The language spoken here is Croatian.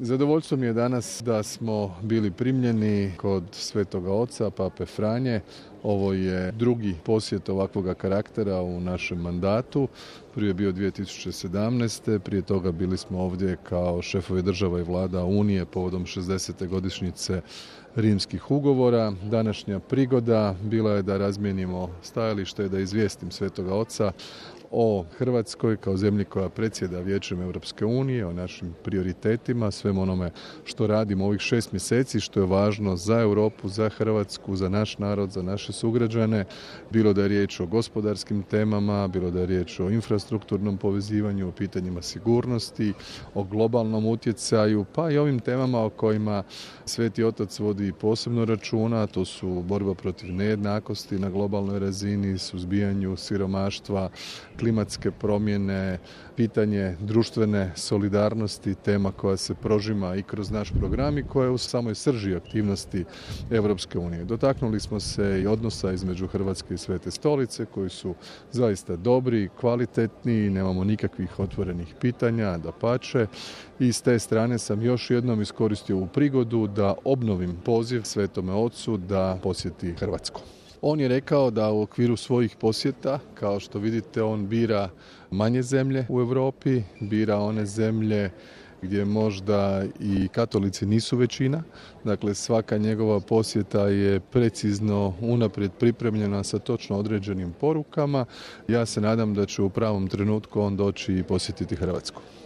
Zadovoljstvo mi je danas da smo bili primljeni kod Svetoga Oca, Pape Franje. Ovo je drugi posjet ovakvoga karaktera u našem mandatu. Prvi je bio 2017. Prije toga bili smo ovdje kao šefovi država i vlada Unije povodom 60. godišnjice rimskih ugovora. Današnja prigoda bila je da razmijenimo stajalište i da izvijestim Svetoga Oca o Hrvatskoj kao zemlji koja predsjeda Vijećem Europske unije, o našim prioritetima, svem onome što radimo ovih 6 mjeseci, što je važno za Europu, za Hrvatsku, za naš narod, za naše sugrađane, bilo da je riječ o gospodarskim temama, bilo da je riječ o infrastrukturnom povezivanju, o pitanjima sigurnosti, o globalnom utjecaju, pa i ovim temama o kojima Sveti Otac vodi posebno računa, to su borba protiv nejednakosti na globalnoj razini, suzbijanju siromaštva, klimatske promjene, pitanje društvene solidarnosti, tema koja se prožima i kroz naš program i koja je u samoj srži aktivnosti Europske unije. Dotaknuli smo se i odnosa između Hrvatske i Svete Stolice koji su zaista dobri, kvalitetni, nemamo nikakvih otvorenih pitanja, dapače. I s te strane sam još jednom iskoristio ovu prigodu da obnovim poziv Svetome Ocu da posjeti Hrvatsku. On je rekao da u okviru svojih posjeta, kao što vidite, on bira manje zemlje u Europi, bira one zemlje gdje možda i katolici nisu većina. Dakle, svaka njegova posjeta je precizno unaprijed pripremljena sa točno određenim porukama. Ja se nadam da će u pravom trenutku on doći i posjetiti Hrvatsku.